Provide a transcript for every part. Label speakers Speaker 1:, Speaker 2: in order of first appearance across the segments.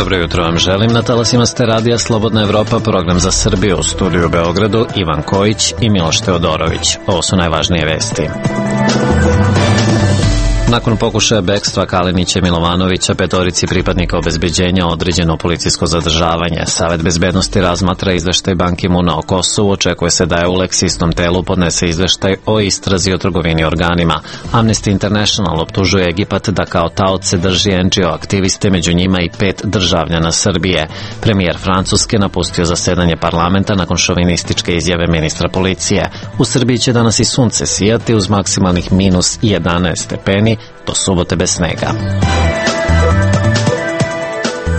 Speaker 1: Dobro jutro vam želim. Na talasima ste radija Slobodna Evropa, program za Srbiju, u studiju u Beogradu Ivan Kojić i Miloš Teodorović. Ovo su najvažnije vesti. Nakon pokušaja bekstva Kalinića i Milovanovića, petorici pripadnika obezbeđenja određeno policijsko zadržavanje. Savet bezbednosti razmatra izveštaj Ban Ki-moona o Kosovu. Očekuje se da EULEX istom telu podnese izveštaj o istrazi o trgovini organima. Amnesty International optužuje Egipat da kao taoce drži NGO aktiviste, među njima i 5 državljana Srbije. Premijer Francuske napustio zasedanje parlamenta nakon šovinističke izjave ministra policije. U Srbiji će danas i sunce sijati uz maksimalnih minus 11 stepeni, do subote bez snega.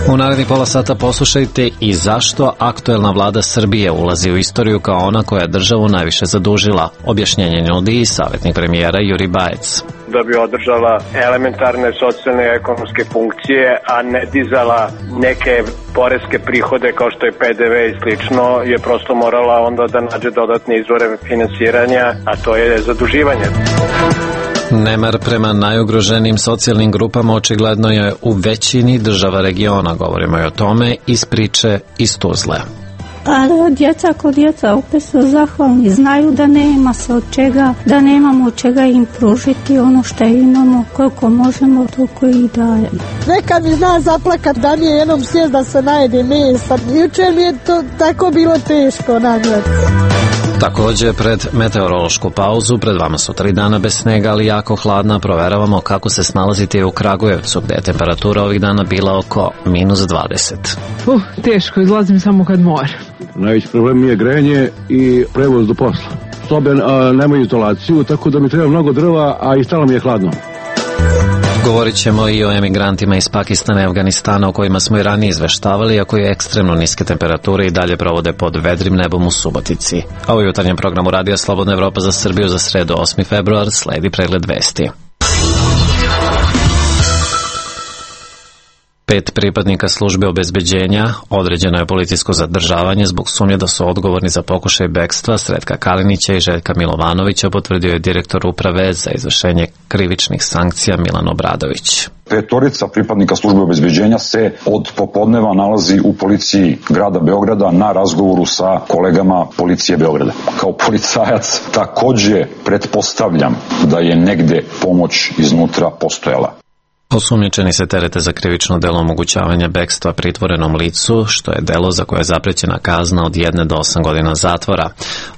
Speaker 1: U narednih pola sata poslušajte i zašto aktuelna vlada Srbije ulazi u istoriju kao ona koja je državu najviše zadužila. Objašnjenje nudi i savjetnik premijera Juri Bajec.
Speaker 2: Da bi održala elementarne socijalne i ekonomske funkcije, a ne dizala neke poreske prihode kao što je PDV i slično, je prosto morala onda da nađe dodatne izvore finansiranja, a to je zaduživanje.
Speaker 1: Nemar prema najugroženijim socijalnim grupama očigledno je u većini država regiona. Govorimo i o tome iz priče iz Tuzle.
Speaker 3: Ali djeca kod djeca opet su zahvalni, znaju da nema se od čega, da nemamo od čega im pružiti ono što imamo, koliko možemo, toliko i dajemo.
Speaker 4: Nekad mi zna zaplakat da mi je jednom sjest da se najede mesa. Jučer mi je to tako bilo teško nagledati.
Speaker 1: Također, pred meteorološku pauzu, pred vama su 3 dana bez snega, ali jako hladna. Proveravamo kako se snalazite u Kragujevcu, gde je temperatura ovih dana bila oko minus 20.
Speaker 5: Teško, izlazim samo kad mora.
Speaker 6: Najveći problem je grejanje i prevoz do posla. Sobe nemaju izolaciju, tako da mi treba mnogo drva, a i stalno mi je hladno.
Speaker 1: Govorit ćemo i o emigrantima iz Pakistana i Afganistana, o kojima smo i ranije izveštavali, a koji ekstremno niske temperature i dalje provode pod vedrim nebom u Subotici. A u jutarnjem programu Radija Slobodna Evropa za Srbiju za sredu 8. februar sledi pregled vesti. 5 pripadnika službe obezbeđenja određeno je policijsko zadržavanje zbog sumnje da su odgovorni za pokušaj bekstva Sretka Kalinića i Željka Milovanovića, potvrdio je direktor uprave za izvršenje krivičnih sankcija Milan Obradović.
Speaker 7: Petorica pripadnika službe obezbeđenja se od popodneva nalazi u policiji grada Beograda na razgovoru sa kolegama policije Beograda. Kao policajac takođe pretpostavljam da je negde pomoć iznutra postojala.
Speaker 1: Osumnjičeni se terete za krivično delo omogućavanja bekstva pritvorenom licu, što je delo za koje je zaprećena kazna od 1 do 8 godina zatvora.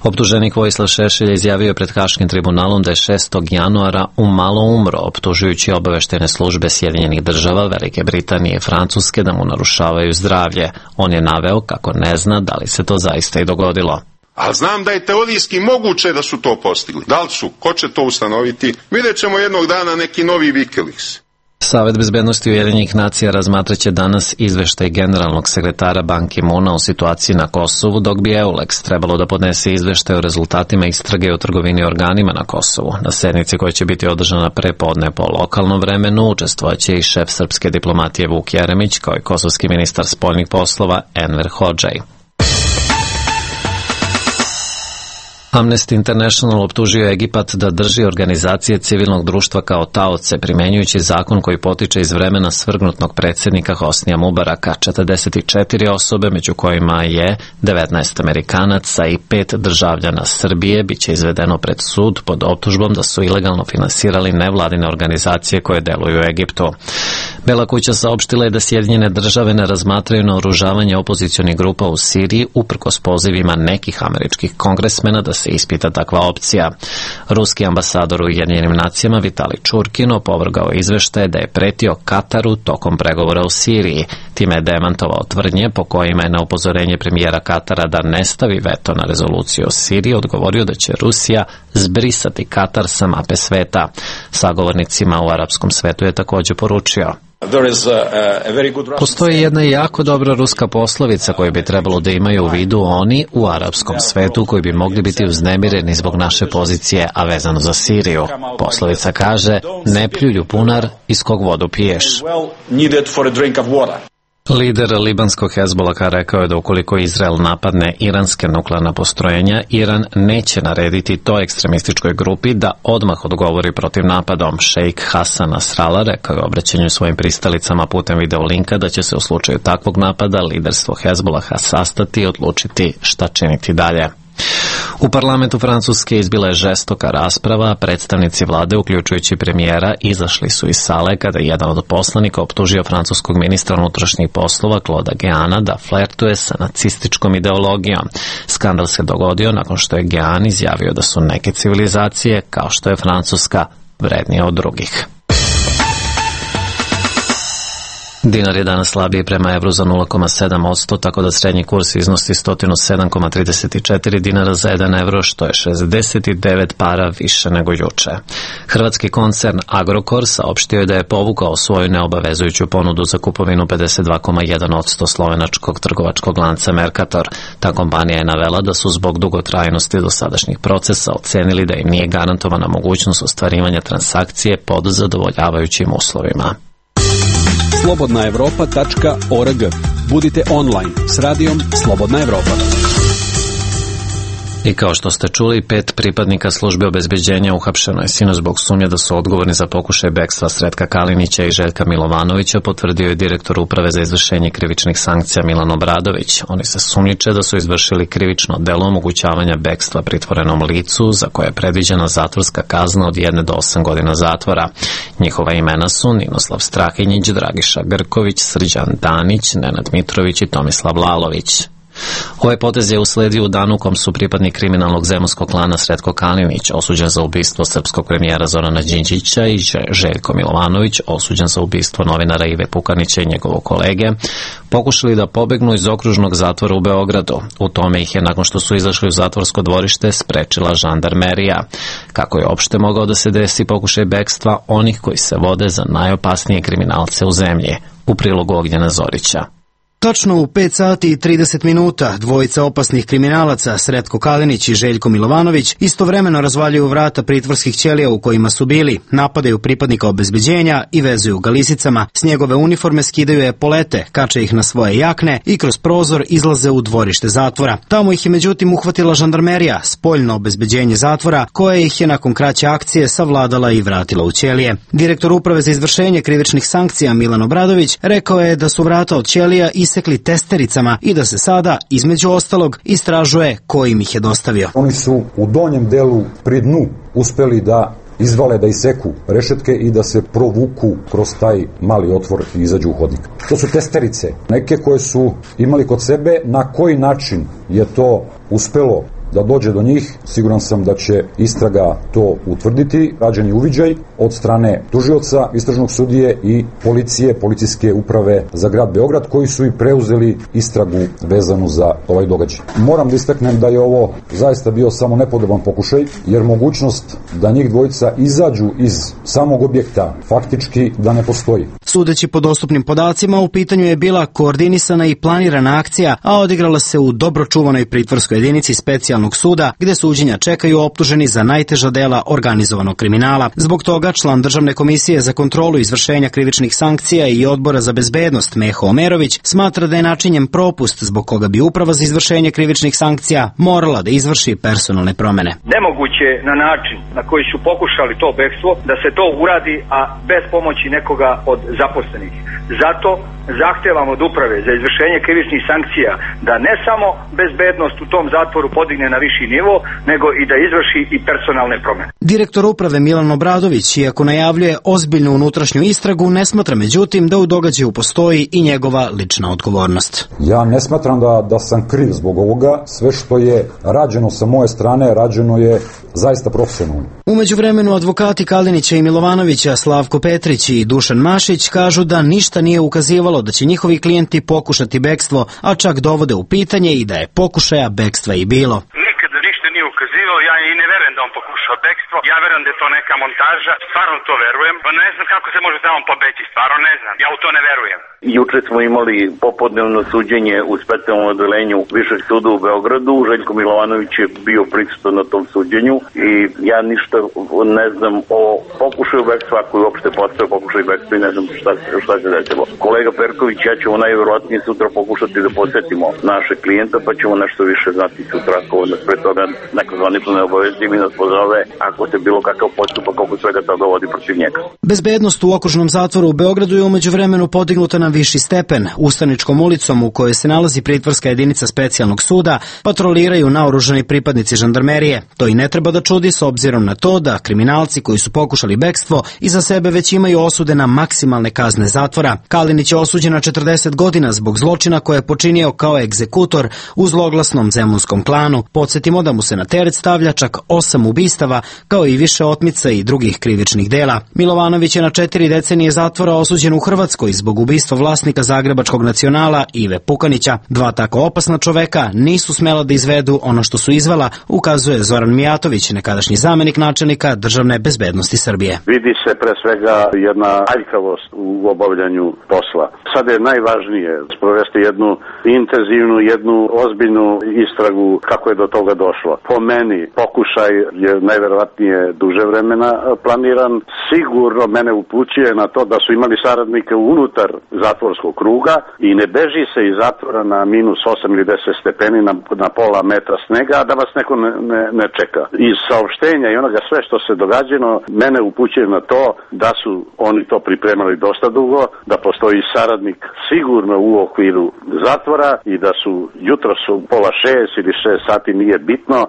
Speaker 1: Optuženik Vojislav Šešelj izjavio je pred Haškim tribunalom da je 6. januara umalo umro, optužujući obaveštene službe Sjedinjenih država, Velike Britanije i Francuske da mu narušavaju zdravlje. On je naveo kako ne zna da li se to zaista i dogodilo.
Speaker 8: A znam da je teorijski moguće da su to postigli. Da li su? Ko će to ustanoviti? Vidjet ćemo jednog dana neki novi Wikileaks.
Speaker 1: Savet bezbednosti Ujedinjenih nacija razmatraće danas izveštaj generalnog sekretara Ban Ki-moona o situaciji na Kosovu, dok bi EULEX trebalo da podnese izveštaj o rezultatima istrage o trgovini organima na Kosovu. Na sednici koja će biti održana prepodne po lokalnom vremenu učestvovaće i šef srpske diplomatije Vuk Jeremić, kao i kosovski ministar spoljnih poslova Enver Hodžaj. Amnesty International optužio Egipat da drži organizacije civilnog društva kao taoce, primjenjujući zakon koji potiče iz vremena svrgnutog predsjednika Hosnija Mubaraka. 44 osobe, među kojima je 19 Amerikanaca i 5 državljana Srbije, biće izvedeno pred sud pod optužbom da su ilegalno finansirali nevladine organizacije koje deluju u Egiptu. Bela kuća saopštila je da Sjedinjene države ne razmatraju naoružavanje opozicionih grupa u Siriji uprkos pozivima nekih američkih kongresmena da se ispita takva opcija. Ruski ambasador u Ujedinjenim nacijama Vitali Čurkin opovrgao izveštaje da je pretio Kataru tokom pregovora u Siriji. Time je demantovao tvrdnje po kojima je na upozorenje premijera Katara da ne stavi veto na rezoluciju o Siriji odgovorio da će Rusija zbrisati Katar sa mape sveta. Sagovornicima u arapskom svetu je također poručio: postoji jedna jako dobra ruska poslovica koju bi trebalo da imaju u vidu oni u arapskom svetu koji bi mogli biti uznemireni zbog naše pozicije, a vezano za Siriju. Poslovica kaže: ne pljuj u bunar iz kog vodu piješ. Lider libanskog Hezbolaha rekao je da ukoliko Izrael napadne iranske nuklearna postrojenja, Iran neće narediti toj ekstremističkoj grupi da odmah odgovori protiv napadom. Šejk Hasan Nasrallah rekao je u obraćanju svojim pristalicama putem videolinka da će se u slučaju takvog napada liderstvo Hezbolaha sastati i odlučiti šta činiti dalje. U parlamentu Francuske izbila je žestoka rasprava, a predstavnici vlade, uključujući premijera, izašli su iz sale kada je jedan od poslanika optužio francuskog ministra unutrašnjih poslova Clauda Guéana da flertuje sa nacističkom ideologijom. Skandal se dogodio nakon što je Guéan izjavio da su neke civilizacije, kao što je Francuska, vrednije od drugih. Dinar je danas slabiji prema evru za 0,7%, tako da srednji kurs iznosi 107,34 dinara za 1 evro, što je 69 para više nego juče. Hrvatski koncern Agrokor saopštio je da je povukao svoju neobavezujuću ponudu za kupovinu 52,1% slovenačkog trgovačkog lanca Mercator. Ta kompanija je navela da su zbog dugotrajnosti dosadašnjih procesa ocenili da im nije garantovana mogućnost ostvarivanja transakcije pod zadovoljavajućim uslovima.
Speaker 9: slobodnaevropa.org. Budite online s radijom Slobodna Evropa.
Speaker 1: I kao što ste čuli, 5 pripadnika službe obezbeđenja uhapšeno je sinoć zbog sumnje da su odgovorni za pokušaj bekstva Sretka Kalinića i Željka Milovanovića, potvrdio je direktor Uprave za izvršenje krivičnih sankcija Milan Obradović. Oni se sumnjiče da su izvršili krivično delo omogućavanja bekstva pritvorenom licu, za koje je predviđena zatvorska kazna od 1 do 8 godina zatvora. Njihova imena su Ninoslav Strahinjić, Dragiša Grković, Srđan Danić, Nenad Mitrović i Tomislav Lalović. Ovaj potez je usledio u danu u kom su pripadnik kriminalnog zemunskog klana Sretko Kalinić, osuđen za ubistvo srpskog premijera Zorana Đinđića, i Željko Milovanović, osuđen za ubistvo novinara Ive Pukanića i njegovog kolege, pokušali da pobegnu iz okružnog zatvora u Beogradu. U tome ih je, nakon što su izašli u zatvorsko dvorište, sprečila žandarmerija. Kako je opšte mogao da se desi pokušaj bekstva onih koji se vode za najopasnije kriminalce u zemlji? U prilogu Ognjena Zorića.
Speaker 10: Točno u 5 sati i 30 minuta dvojica opasnih kriminalaca, Sretko Kalinić i Željko Milovanović, istovremeno razvaljuju vrata pritvorskih ćelija u kojima su bili, napadaju pripadnika obezbeđenja i vezuju ga lisicama, s njegove uniforme skidaju epolete, kače ih na svoje jakne i kroz prozor izlaze u dvorište zatvora. Tamo ih je međutim uhvatila žandarmerija, spoljno obezbeđenje zatvora, koja ih je nakon kraće akcije savladala i vratila u ćelije. Direktor Uprave za izvršenje krivičnih sankcija Milan Obradović rekao je da su vrata od ćelija isekli testericama i da se sada, između ostalog, istražuje ko im ih je dostavio.
Speaker 11: Oni su u donjem delu pri dnu uspeli da izvale, da iseku rešetke i da se provuku kroz taj mali otvor i izađu u hodnik. To su testerice, neke koje su imali kod sebe. Na koji način je to uspelo da dođe do njih, siguran sam da će istraga to utvrditi. Rađen je uviđaj od strane tužioca, istražnog sudije i policije, policijske uprave za grad Beograd, koji su i preuzeli istragu vezanu za ovaj događaj. Moram da istaknem da je ovo zaista bio samo nepodoban pokušaj, jer mogućnost da njih dvojica izađu iz samog objekta faktički da ne postoji.
Speaker 10: Sudeći po dostupnim podacima, u pitanju je bila koordinisana i planirana akcija, a odigrala se u dobro čuvanoj pritvorskoj jedinici specijalnog suda, gde suđenja čekaju optuženi za najteža dela organizovanog kriminala. Zbog toga član Državne komisije za kontrolu izvršenja krivičnih sankcija i Odbora za bezbednost Meho Omerović smatra da je načinjen propust zbog koga bi Uprava za izvršenje krivičnih sankcija morala da izvrši personalne promene.
Speaker 12: Nemoguće na način na koji su pokušali to bekstvo da se to uradi, a bez pomoći nekoga od zaposlenih. Zato zahtevam od Uprave za izvršenje krivičnih sankcija da ne samo bezbednost u tom zatvoru podigne na viši nivo, nego i da izvrši i personalne promene.
Speaker 10: Direktor Uprave Milan Obradović, iako najavljuje ozbiljnu unutrašnju istragu, ne smatra međutim da u događaju postoji i njegova lična odgovornost.
Speaker 11: Ja ne smatram da sam kriv zbog ovoga. Sve što je rađeno sa moje strane, rađeno je zaista profesionalno.
Speaker 10: Umeđu vremenu advokati Kalinića i Milovanovića, Slavko Petrić i Dušan Mašić, kažu da ništa nije ukazivalo da će njihovi klijenti pokušati bekstvo, a čak dovode u pitanje i da je pokušaja bekstva i bilo.
Speaker 13: Nikada ništa nije ukazivalo, ja i ne verujem da on pokušao bekstvo, ja verujem da je to neka montaža, stvarno to verujem, ne znam kako se može tamo pobeći, stvarno ne znam, ja u to ne verujem.
Speaker 14: Juče smo imali popodnevno suđenje u specijalnom odelenju Višeg suda u Beogradu. Željko Milovanović je bio prisutan na tom suđenju i ja ništa ne znam o pokušaju bekstva, ako je uopšte postao pokušaj bekstva i ne znam šta se desilo. Kolega Perković, ja ćemo najverovatnije sutra pokušati da posetimo naše klijenta, pa ćemo nešto više znati sutra, ako nas pre toga neko zvanično ne obavesti i nas pozove ako se bilo kakav postupak oko svega toga vodi protiv njega.
Speaker 10: Bezbednost u okružnom zatvoru u Beogradu je umeđu vremenu podignuta na viši stepen. Ustaničkom ulicom u kojoj se nalazi pritvorska jedinica specijalnog suda patroliraju naoružani pripadnici žandarmerije. To i ne treba da čudi s obzirom na to da kriminalci koji su pokušali bekstvo iza sebe već imaju osude na maksimalne kazne zatvora. Kalinić je osuđen na 40 godina zbog zločina koje je počinio kao egzekutor u zloglasnom zemunskom klanu. Podsjetimo da mu se na teret stavlja čak 8 ubistava, kao i više otmica i drugih krivičnih dela. Milovanović je na 4 decenije zatvora osuđen u Hrvatskoj zbog ubistva vlasnika Zagrebačkog Nacionala Ive Pukanića. Dva tako opasna čoveka nisu smela da izvedu ono što su izvela, ukazuje Zoran Mijatović, nekadašnji zamenik načelnika Državne bezbednosti Srbije.
Speaker 15: Vidi se pre svega jedna aljkavost u obavljanju posla. Sad je najvažnije sprovesti jednu intenzivnu, jednu ozbiljnu istragu kako je do toga došlo. Po meni pokušaj je najverovatnije duže vremena planiran. Sigurno mene upućuje na to da su imali saradnike unutar zatvorskog kruga i ne beži se iz zatvora na -8 ili 10 stepeni na pola metra snega, a da vas neko ne čeka. Iz saopštenja i onoga sve što se događalo mene upućuje na to da su oni to pripremali dosta dugo, da postoji saradnik sigurno u okviru zatvora i da su jutros u pola 6 ili 6 sati, nije bitno,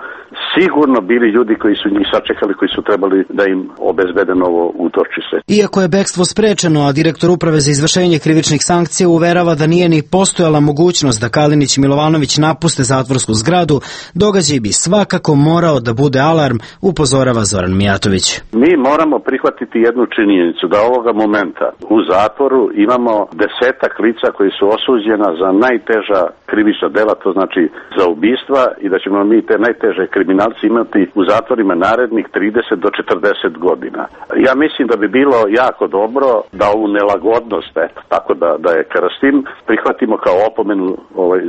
Speaker 15: sigurno bili ljudi koji su njih sačekali, koji su trebali da im obezbede novo utočište.
Speaker 10: Iako je bekstvo sprečeno, a direktor Uprave za izvršenje krivičnih sankcija uverava da nije ni postojala mogućnost da Kalinić i Milovanović napuste zatvorsku zgradu, događaj bi svakako morao da bude alarm, upozorava Zoran Mijatović.
Speaker 15: Mi moramo prihvatiti jednu činjenicu da ovoga momenta u zatvoru imamo 10-ak lica koji su osuđena za najteža krivična dela, to znači za ubistva, i da ćemo mi te najteže kriminalci imati u zatvorima narednih 30 do 40 godina. Ja mislim da bi bilo jako dobro da ovu nelagodnost, tako da je krstim, prihvatimo kao opomenu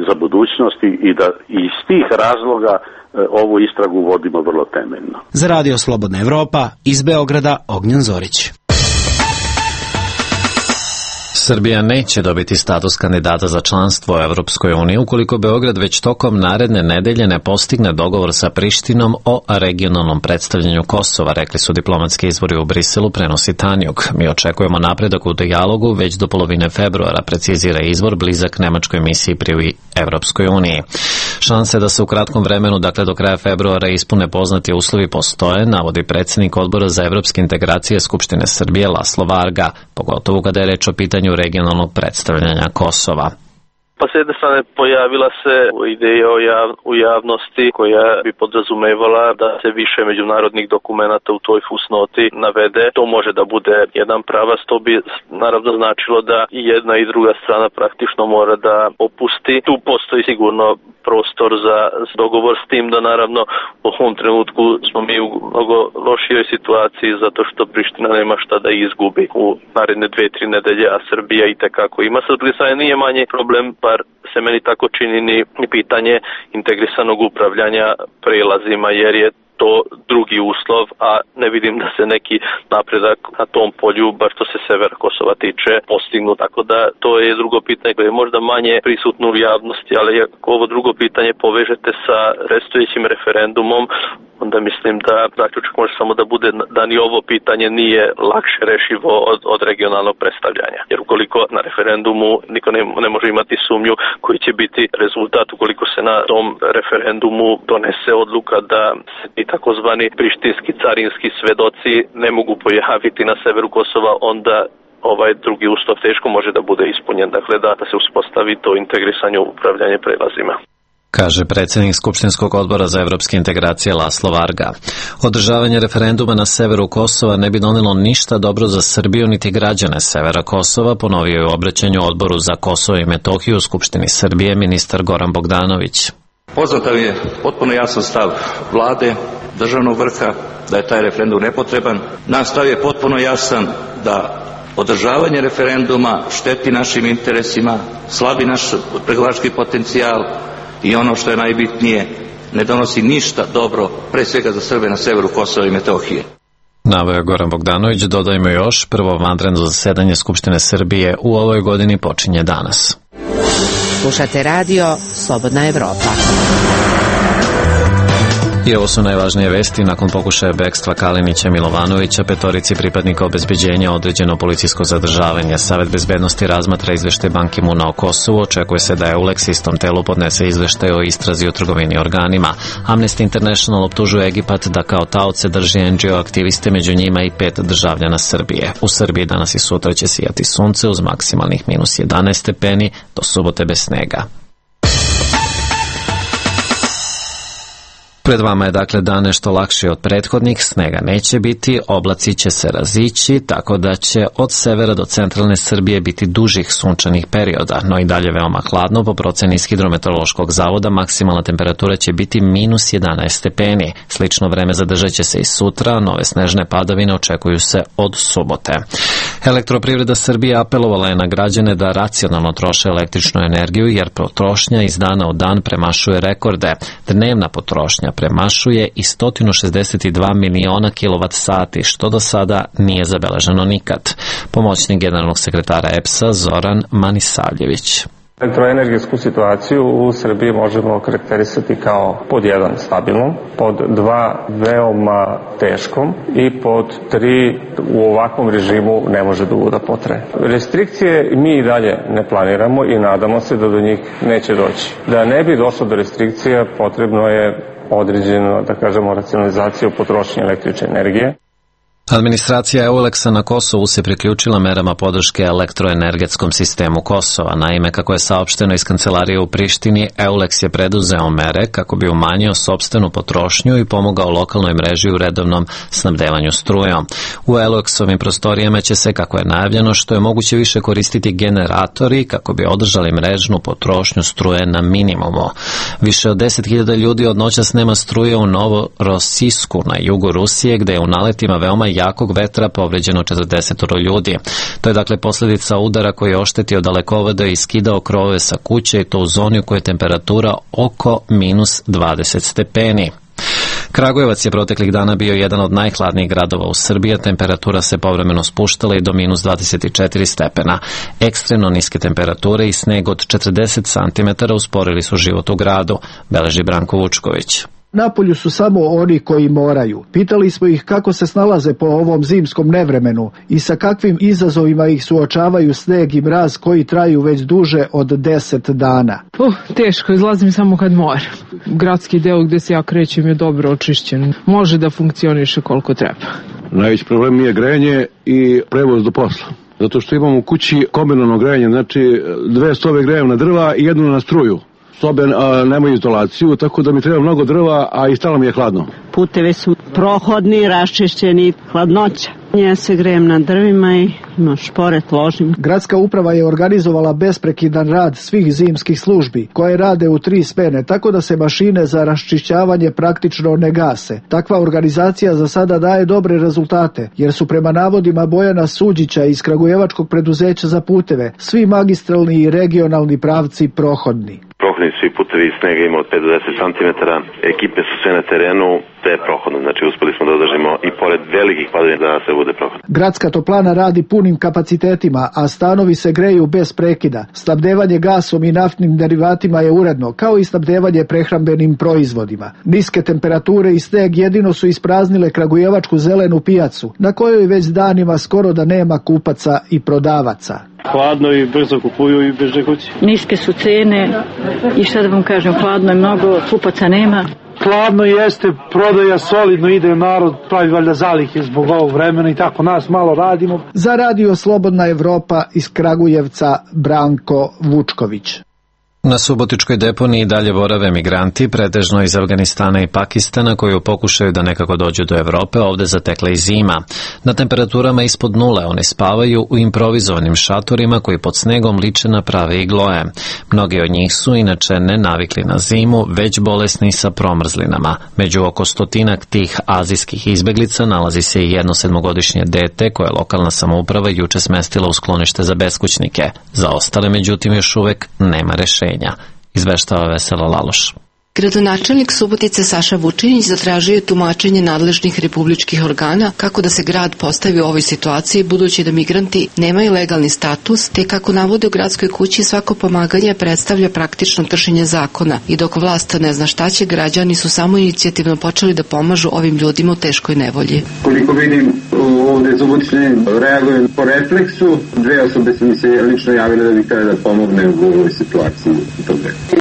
Speaker 15: za budućnost i da iz tih razloga ovu istragu vodimo vrlo temeljno.
Speaker 10: Za Radio Slobodna Evropa, iz Beograda, Ognjen Zorić.
Speaker 1: Srbija neće dobiti status kandidata za članstvo u Evropskoj uniji ukoliko Beograd već tokom naredne nedelje ne postigne dogovor sa Prištinom o regionalnom predstavljanju Kosova, rekli su diplomatski izvori u Briselu, prenosi Tanjug. Mi očekujemo napredak u dijalogu već do polovine februara, precizira izvor blizak nemačkoj misiji pri Evropskoj uniji. Šanse da se u kratkom vremenu, dakle do kraja februara, ispune poznati uslovi postoje, navodi predsjednik Odbora za evropske integracije Skupštine Srbije Laslo Varga, pogotovo kada je reč o pitanju regionalnog predstavljanja Kosova.
Speaker 16: Pa s jedne strane pojavila se ideja u javnosti koja bi podrazumevala da se više međunarodnih dokumenata u toj fusnoti navede. To može da bude jedan pravac, to bi naravno značilo da i jedna i druga strana praktično mora da opusti. Tu postoji sigurno prostor za dogovor, s tim da naravno u ovom trenutku smo mi u mnogo lošijoj situaciji zato što Priština nema šta da izgubi u naredne 2-3 nedelje, a Srbija i tekako ima. Sa druge strane nije manje problem, bar se meni tako čini, ni pitanje integrisanog upravljanja prelazima, jer je to drugi uslov, a ne vidim da se neki napredak na tom polju, bar što se severa Kosova tiče, postignu. Tako da to je drugo pitanje koje je možda manje prisutno u javnosti, ali ako ovo drugo pitanje povežete sa predstojećim referendumom, onda mislim da zaključak može samo da bude da ni ovo pitanje nije lakše rešivo od regionalnog predstavljanja. Jer ukoliko na referendumu niko ne može imati sumnju koji će biti rezultat, ukoliko se na tom referendumu donese odluka da se i takozvani prištinski carinski svedoci ne mogu pojaviti na severu Kosova, onda ovaj drugi uslov teško može da bude ispunjen. Dakle, da se uspostavi to integrisanje upravljanje prelazima,
Speaker 1: kaže predsjednik Skupštinskog odbora za evropske integracije Laslo Varga. Održavanje referenduma na severu Kosova ne bi donelo ništa dobro za Srbiju niti građane severa Kosova, ponovio je u obraćanju Odboru za Kosovo i Metohiju u Skupštini Srbije ministar Goran Bogdanović.
Speaker 17: Poznato je potpuno jasan stav vlade, državnog vrha, da je taj referendum nepotreban. Naš stav je potpuno jasan da Održavanje referenduma šteti našim interesima, slabi naš pregovarački potencijal i ono što je najbitnije, ne donosi ništa dobro, pre svega za Srbe na severu Kosova i Metohije.
Speaker 1: Naveo je Goran Bogdanović, dodajmo još, prvo vanredno zasedanje Skupštine Srbije u ovoj godini počinje danas.
Speaker 18: Slušate radio Slobodna Evropa.
Speaker 1: I ovo su najvažnije vesti. Nakon pokušaja bekstva Kalinića Milovanovića, petorici pripadnika obezbeđenja određeno policijsko zadržavanje. Savet bezbednosti razmatra izveštaj Ban Ki-moona o Kosovu. Očekuje se da EULEX istom telu podnese izveštaj o istrazi o trgovini organima. Amnesty International optužuje Egipat da kao taoce drži NGO aktiviste, među njima i 5 državljana Srbije. U Srbiji danas i sutra će sijati sunce uz maksimalnih minus 11 stepeni, do subote bez snega. Pred vama je dakle dan nešto lakši od prethodnih, snega neće biti, oblaci će se razići, tako da će od severa do centralne Srbije biti dužih sunčanih perioda, no i dalje veoma hladno. Po proceni iz Hidrometeorološkog zavoda maksimalna temperatura će biti minus 11 stepeni. Slično vreme zadržat će se i sutra, nove snežne padavine očekuju se od subote. Elektroprivreda Srbije apelovala je na građane da racionalno troše električnu energiju, jer potrošnja iz dana u dan premašuje rekorde. Dnevna potrošnja premašuje i 162 miliona kilovat-sati, što do sada nije zabeleženo nikad. Pomoćnik generalnog sekretara EPS-a Zoran Manisavljević.
Speaker 19: Elektroenergetsku situaciju u Srbiji možemo karakterisati kao pod 1 stabilnom, pod 2 veoma teškom i pod 3 u ovakvom režimu ne može dugo da potraje. Restrikcije mi i dalje ne planiramo i nadamo se da do njih neće doći. Da ne bi došlo do restrikcija potrebno je određeno, da kažemo, racionalizaciju potrošnje električne energije.
Speaker 1: Administracija EULEX-a na Kosovu se priključila merama podrške elektroenergetskom sistemu Kosova. Naime, kako je saopšteno iz kancelarije u Prištini, EULEX je preduzeo mere kako bi umanjio sopstvenu potrošnju i pomogao lokalnoj mreži u redovnom snabdevanju strujom. U EULEX-ovim prostorijama će se, kako je najavljeno, što je moguće više koristiti generatori kako bi održali mrežnu potrošnju struje na minimumu. Više od 10.000 ljudi od noćas nema struje u Novorosijsku na jugu Rusije, gde je u naletima veoma jakog vetra povređeno 40 ljudi. To je dakle posljedica udara koji je oštetio dalekovode i skidao krovove sa kuće, i to u zoni u kojoj je temperatura oko minus 20 stepeni. Kragujevac je proteklih dana bio jedan od najhladnijih gradova u Srbiji, temperatura se povremeno spuštala i do minus 24 stepena. Ekstremno niske temperature i sneg od 40 cm usporili su život u gradu, beleži Branko Vučković.
Speaker 20: Napolju su samo oni koji moraju. Pitali smo ih kako se snalaze po ovom zimskom nevremenu i sa kakvim izazovima ih suočavaju sneg i mraz koji traju već duže od 10 dana.
Speaker 5: Teško, izlazim samo kad moram. Gradski deo gde se ja krećem je dobro očišćen. Može da funkcioniše koliko treba.
Speaker 6: Najveći problem mi je grejanje i prevoz do posla. Zato što imam u kući kombinalno grejanje, znači 2 sobe grejem na drva i 1 na struju. Sobe nemaju izolaciju, tako da mi treba mnogo drva, a i stalno mi je hladno.
Speaker 21: Putevi su prohodni, raščišćeni, hladnoća. Ja se grejem na drvima i šporet ložim.
Speaker 20: Gradska uprava je organizovala besprekidan rad svih zimskih službi, koje rade u 3 smene, tako da se mašine za raščišćavanje praktično ne gase. Takva organizacija za sada daje dobre rezultate, jer su prema navodima Bojana Suđića iz Kragujevačkog preduzeća za puteve svi magistralni i regionalni pravci prohodni.
Speaker 22: Prohodni svi putevi, snega ima od 5 do 10 cm, ekipe su sve na terenu, te je prohodno. Znači uspeli smo da održimo i pored velikih padanja da se bude prohodno.
Speaker 20: Gradska toplana radi punim kapacitetima, a stanovi se greju bez prekida. Snabdevanje gasom i naftnim derivatima je uredno, kao i snabdevanje prehrambenim proizvodima. Niske temperature i sneg jedino su ispraznile kragujevačku zelenu pijacu, na kojoj već danima skoro da nema kupaca i prodavaca.
Speaker 23: Hladno i brzo kupuju i beže kući.
Speaker 24: Niske su cene i šta da vam kažem, hladno je mnogo, kupaca nema.
Speaker 23: Hladno jeste, prodaja solidno ide, narod pravi valjda zalihe zbog ovog vremena i tako nas malo radimo.
Speaker 20: Za radio Slobodna Evropa iz Kragujevca Branko Vučković.
Speaker 1: Na subotičkoj deponiji dalje borave migranti, pretežno iz Afganistana i Pakistana, koji pokušaju da nekako dođu do Evrope, ovde zatekla i zima. Na temperaturama ispod nule oni spavaju u improvizovanim šatorima koji pod snegom liče na prave igloje. Mnogi od njih su inače ne navikli na zimu, već bolesni sa promrzlinama. Među oko 100 tih azijskih izbeglica nalazi se i jedno 7-godišnje dete koje je lokalna samouprava juče smestila u sklonište za beskućnike. Za ostale, međutim, još uvek nema rešenja. Izveštava Vesela Laloš.
Speaker 2: Gradonačelnik Subotice Saša Vučinić zatražio je tumačenje nadležnih republičkih organa kako da se grad postavi u ovoj situaciji, budući da migranti nemaju legalni status, te kako navode u gradskoj kući svako pomaganje predstavlja praktično kršenje zakona i dok vlast ne zna šta će, građani su samo inicijativno počeli da pomažu ovim ljudima u teškoj nevolji.
Speaker 3: Koliko vidim, ovde Subotičani reaguju po refleksu. 2 osobe su mi se lično javile da bi htjeli da pomogne u ovoj situaciji.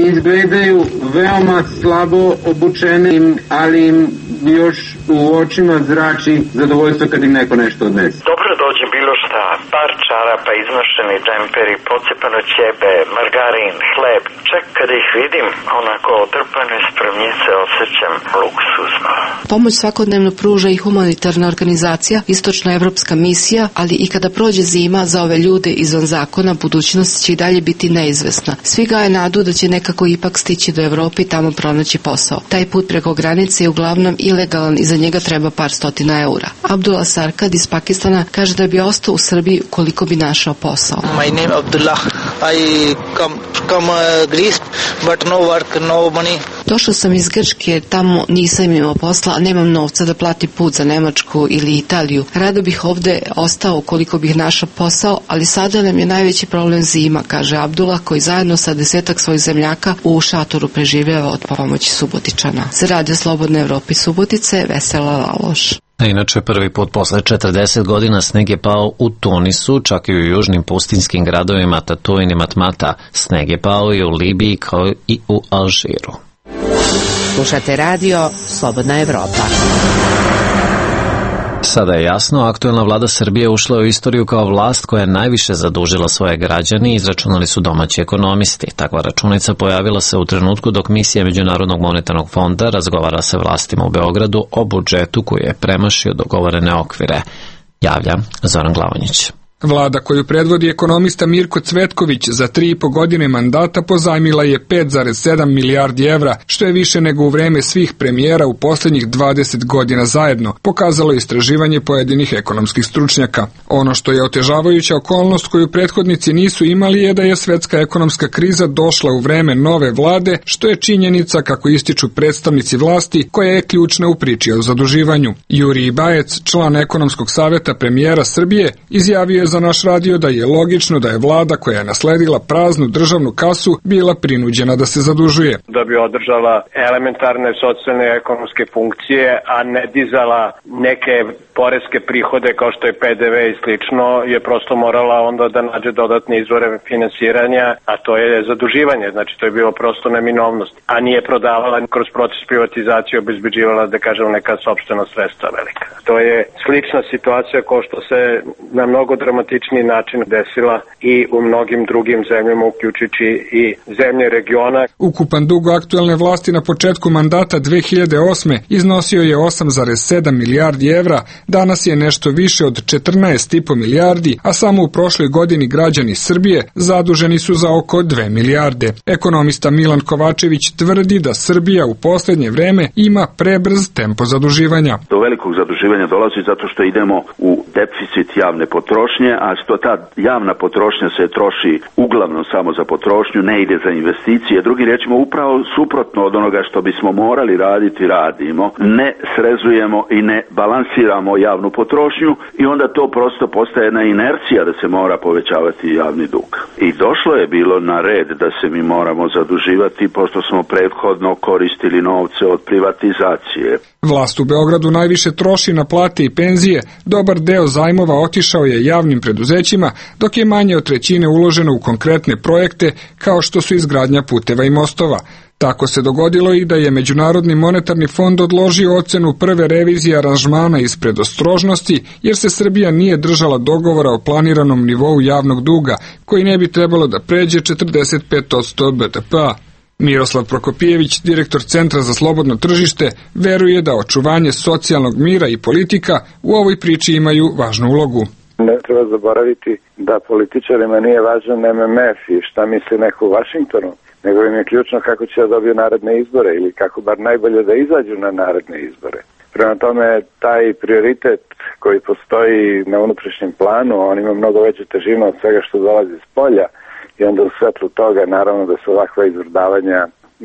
Speaker 3: Izgledaju veoma slabo obučenim, ali im još u očima zrači zadovoljstvo kad im neko nešto odnese.
Speaker 4: Dobro dođe bilo šta, par čarapa, iznošeni džemperi, pocepano ćebe, margarin, hleb. Čak kada ih vidim, onako otrpane spremnice osjećam luksuzno.
Speaker 2: Pomoć svakodnevno pruža i humanitarna organizacija, istočnoevropska misija, ali i kada prođe zima za ove ljude izvan zakona, budućnost će i dalje biti neizvesna. Svi gaje nadu da će nekako ipak stići do Evrope i tamo pronaći posao. Taj put preko granice je uglavnom ilegalan i za njega treba par stotina eura. Abdullah Sarkad iz Pakistana kaže da bi ostao u Srbiji koliko bi našao posao.
Speaker 7: My name Abdullah. I come Greece, but no work, no money.
Speaker 2: Došao sam iz Grčke, tamo nisam imao posla, a nemam novca da plati put za Nemačku ili Italiju. Rado bih ovde ostao koliko bih našao posao, ali sada nam je najveći problem zima, kaže Abdullah, koji zajedno sa 10 svojih zemljaka u šatoru preživljava od pomoći Subotičana. Za Radio Slobodne Evrope Subotice, Vesela Laloš.
Speaker 1: A inače, prvi put posle 40 godina sneg je pao u Tunisu, čak i u južnim pustinskim gradovima Tatuin i Matmata. Sneg je pao i u Libiji kao i u Alžiru.
Speaker 18: Slušate radio Slobodna Evropa.
Speaker 1: Sada je jasno, aktuelna vlada Srbije ušla u istoriju kao vlast koja je najviše zadužila svoje građane, izračunali su domaći ekonomisti. Takva računica pojavila se u trenutku dok misija Međunarodnog monetarnog fonda razgovara sa vlastima u Beogradu o budžetu koji je premašio dogovorene okvire. Javlja Zoran Glavonjić.
Speaker 25: Vlada koju predvodi ekonomista Mirko Cvetković za 3,5 godine mandata pozajmila je 5,7 milijardi evra, što je više nego u vreme svih premijera u posljednjih 20 godina zajedno, pokazalo istraživanje pojedinih ekonomskih stručnjaka. Ono što je otežavajuća okolnost koju prethodnici nisu imali je da je svetska ekonomska kriza došla u vreme nove vlade, što je činjenica, kako ističu predstavnici vlasti, koja je ključna u priči o zaduživanju. Jurij Bajec, član ekonomskog saveta premijera Srbije, izjavio je za naš radio da je logično da je vlada koja je nasledila praznu državnu kasu bila prinuđena da se zadužuje.
Speaker 26: Da bi održala elementarne socijalne ekonomske funkcije, a ne dizala neke poreske prihode kao što je PDV i slično, je prosto morala onda da nađe dodatne izvore finansiranja, a to je zaduživanje. Znači to je bilo prosto neminovnost, a nije prodavala kroz proces privatizacije, obezbeđivala, da kažem, neka sopstvena sredstva velika. To je slična situacija kao što se na mnogo dramatičniji način desila i u mnogim drugim zemljama, uključujući i zemlje regiona.
Speaker 25: Ukupan dug aktuelne vlasti na početku mandata 2008. iznosio je 8,7 milijardi evra, danas je nešto više od 14,5 milijardi, a samo u prošloj godini građani Srbije zaduženi su za oko 2 milijarde. Ekonomista Milan Kovačević tvrdi da Srbija u posljednje vreme ima prebrz tempo zaduživanja.
Speaker 27: Do velikog zaduživanja dolazi zato što idemo u deficit javne potrošnje, a što ta javna potrošnja se troši uglavnom samo za potrošnju, ne ide za investicije. Drugim riječima, upravo suprotno od onoga što bismo morali raditi, radimo. Ne srezujemo i ne balansiramo javnu potrošnju i onda to prosto postaje jedna inercija da se mora povećavati javni dug. I došlo je bilo na red da se mi moramo zaduživati, pošto smo prethodno koristili novce od privatizacije.
Speaker 25: Vlast u Beogradu najviše troši na plate i penzije, dobar deo zajmova otišao je javnim preduzećima, dok je manje od trećine uloženo u konkretne projekte kao što su izgradnja puteva i mostova. Tako se dogodilo i da je Međunarodni monetarni fond odložio ocenu prve revizije aranžmana iz predostrožnosti, jer se Srbija nije držala dogovora o planiranom nivou javnog duga, koji ne bi trebalo da pređe 45% BDP-a. Miroslav Prokopijević, direktor Centra za slobodno tržište, veruje da očuvanje socijalnog mira i politika u ovoj priči imaju važnu ulogu.
Speaker 8: Ne treba zaboraviti da političarima nije važan MMF i šta misli neko u Vašingtonu, nego im je ključno kako će da dobiju naredne izbore ili kako bar najbolje da izađu na naredne izbore. Prema tome, taj prioritet koji postoji na unutrašnjem planu, on ima mnogo veću težinu od svega što dolazi iz polja i onda u svetlu toga naravno da se ovakva izvrdavanja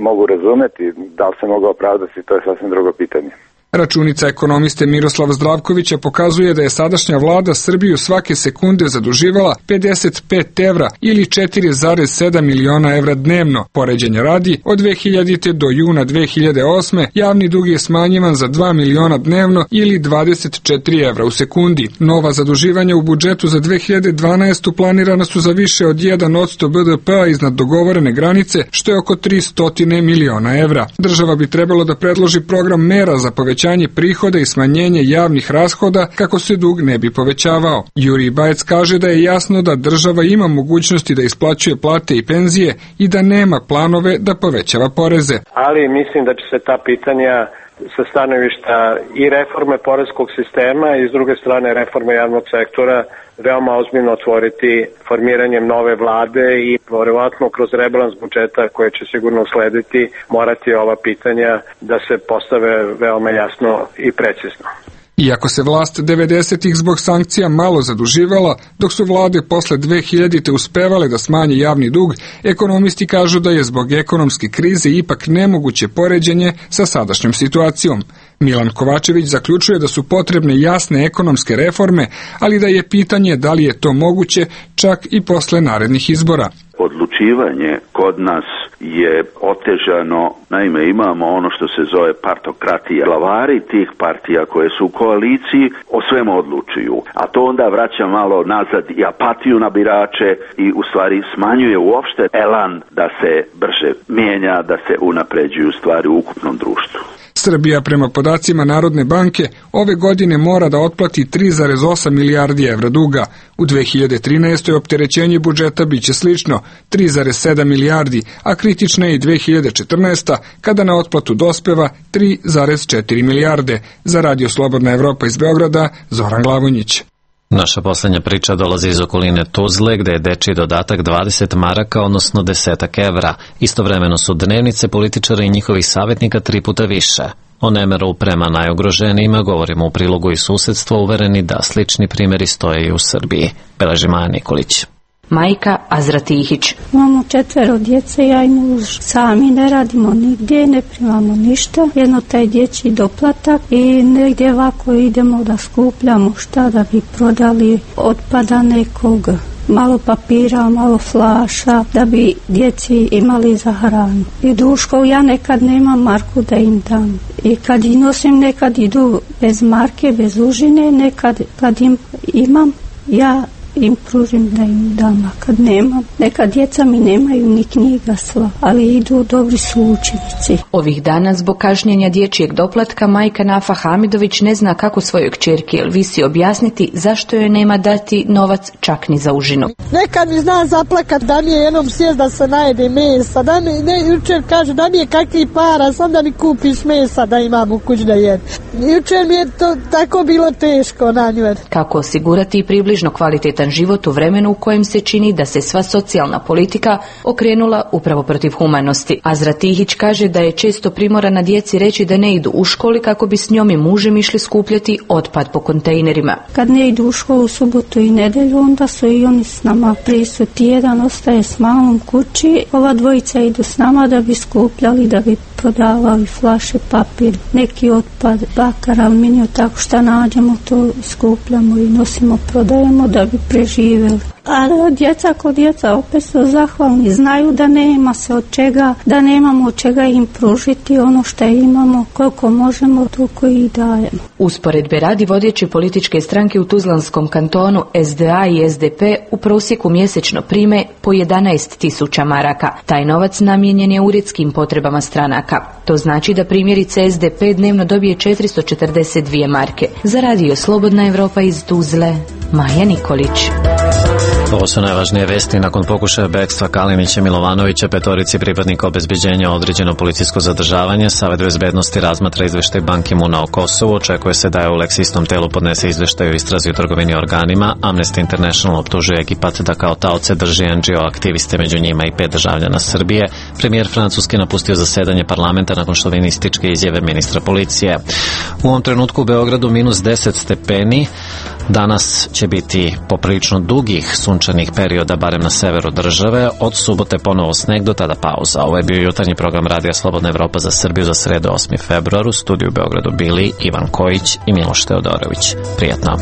Speaker 8: mogu razumeti, da li se mogu opravdati, to je sasvim drugo pitanje.
Speaker 25: Računica ekonomiste Miroslava Zdravkovića pokazuje da je sadašnja vlada Srbiju svake sekunde zaduživala 55 evra ili 4,7 miliona evra dnevno. Poređenja radi, od 2000. do juna 2008. javni dug je smanjivan za 2 miliona dnevno ili 24 evra u sekundi. Nova zaduživanja u budžetu za 2012. planirana su za više od 1% BDP-a iznad dogovorene granice, što je oko 300 miliona evra. Država bi trebalo da predloži program mera za povećanje prihoda i smanjenje javnih rashoda kako se dug ne bi povećavao. Jurij Bajec kaže da je jasno da država ima mogućnosti da isplaćuje plate i penzije i da nema planove da povećava poreze.
Speaker 26: Ali mislim da će se ta pitanja sa stanovišta i reforme poreskog sistema i s druge strane reforme javnog sektora veoma ozbiljno otvoriti formiranjem nove vlade i verovatno kroz rebalans budžeta koje će sigurno uslediti morati ova pitanja da se postave veoma jasno i precizno.
Speaker 25: Iako se vlast 90-ih zbog sankcija malo zaduživala, dok su vlade posle 2000-te uspevale da smanje javni dug, ekonomisti kažu da je zbog ekonomske krize ipak nemoguće poređenje sa sadašnjom situacijom. Milan Kovačević zaključuje da su potrebne jasne ekonomske reforme, ali da je pitanje da li je to moguće čak i posle narednih izbora.
Speaker 27: Odlučivanje kod nas je otežano, naime imamo ono što se zove partokratija. Glavari tih partija koje su u koaliciji o svemu odlučuju, a to onda vraća malo nazad i apatiju na birače i u stvari smanjuje uopšte elan da se brže mijenja, da se unapređuju stvari u ukupnom društvu.
Speaker 25: Srbija prema podacima Narodne banke ove godine mora da otplati 3,8 milijardi evra duga. U 2013. opterećenje budžeta biće slično, 3,7 milijardi, a kritična je i 2014. kada na otplatu dospeva 3,4 milijarde. Za Radio Slobodna Evropa iz Beograda, Zoran Glavonjić.
Speaker 1: Naša poslednja priča dolazi iz okoline Tuzle, gde je dečiji dodatak 20 maraka, odnosno 10 evra. Istovremeno su dnevnice političara i njihovih savjetnika 3 puta više. O nemeru prema najugroženijima govorimo u prilogu iz susedstva, uvereni da slični primjeri stoje i u Srbiji. Beleži Maja Nikolić.
Speaker 9: Majka Azra Tihić.
Speaker 11: Imamo 4 djece, ja i muž. Sami ne radimo nigdje, ne primamo ništa. Jedno taj dječji doplatak i negdje ovako idemo da skupljamo šta da bi prodali otpada nekog. Malo papira, malo flaša, da bi djeci imali za hranu. I duško, ja nekad nemam marku da im dam. I kad ih nosim, nekad idu bez marke, bez užine, nekad kad im imam, ja im pružim da im dam, a kad nemam, neka djeca mi nemaju ni knjiga sva, ali idu, dobri su učenici.
Speaker 9: Ovih dana zbog kašnjenja dječjeg doplatka majka Nafa Hamidović ne zna kako svojoj kćerki Elvisi objasniti zašto joj nema dati novac čak ni za užinu.
Speaker 12: Nekad mi zna zaplakat da mi je jednom sjest da se najede mesa, da mi jučer kaže da mi je kakvi para, sam da mi kupiš mesa da imam u kući da jedem. Jučer mi je to tako bilo teško na nju.
Speaker 9: Kako osigurati približno kvalitetan život u vremenu u kojem se čini da se sva socijalna politika okrenula upravo protiv humanosti. Azra Tihić kaže da je često primorana djeci reći da ne idu u školi kako bi s njom i mužem išli skupljati otpad po kontejnerima.
Speaker 11: Kad ne idu u školu subotu i nedelju, onda su i oni s nama prisutni. Jedan ostaje s mamom kući, ova dvojica idu s nama da bi skupljali, da bi prodavali flaše, papir, neki otpad, bakar, aluminiju, tako šta nađemo to skupljamo i nosimo, prodajemo da bi preživjeli. A djeca kod djeca opet su zahvalni, znaju da nema se od čega, da nemamo od čega im pružiti ono što imamo, koliko možemo, toliko i dajemo.
Speaker 9: Usporedbe radi vodeće političke stranke u Tuzlanskom kantonu SDA i SDP u prosjeku mjesečno prime po 11.000 maraka. Taj novac namijenjen je uredskim potrebama stranaka. To znači da primjerice SDP dnevno dobije 442 marke. Za Radio Slobodna Evropa iz Tuzle, Maja Nikolić.
Speaker 1: Ovo su najvažnije vesti. Nakon pokušaja bekstva Kalinića i Milovanovića, petorici pripadnika obezbeđenja određeno policijsko zadržavanje, Savet bezbednosti razmatra izveštaj Ban Ki-moona o Kosovu. Očekuje se da je ULEX istom telu podnese izveštaj o istrazi u trgovini organima. Amnesty International optužuje Egipat da kao taoce drži NGO aktiviste, među njima i 5 državljana Srbije. Premijer Francuske napustio zasedanje parlamenta nakon šovinističke izjave ministra policije. U ovom trenutku u Beogradu -10 stepeni. Danas će biti poprilično dugih sunčanih perioda, barem na severu države. Od subote ponovo sneg, do tada pauza. Ovo je bio jutarnji program Radija Slobodna Evropa za Srbiju za sredu 8. februar. U studiju u Beogradu bili Ivan Kojić i Miloš Teodorović. Prijetno.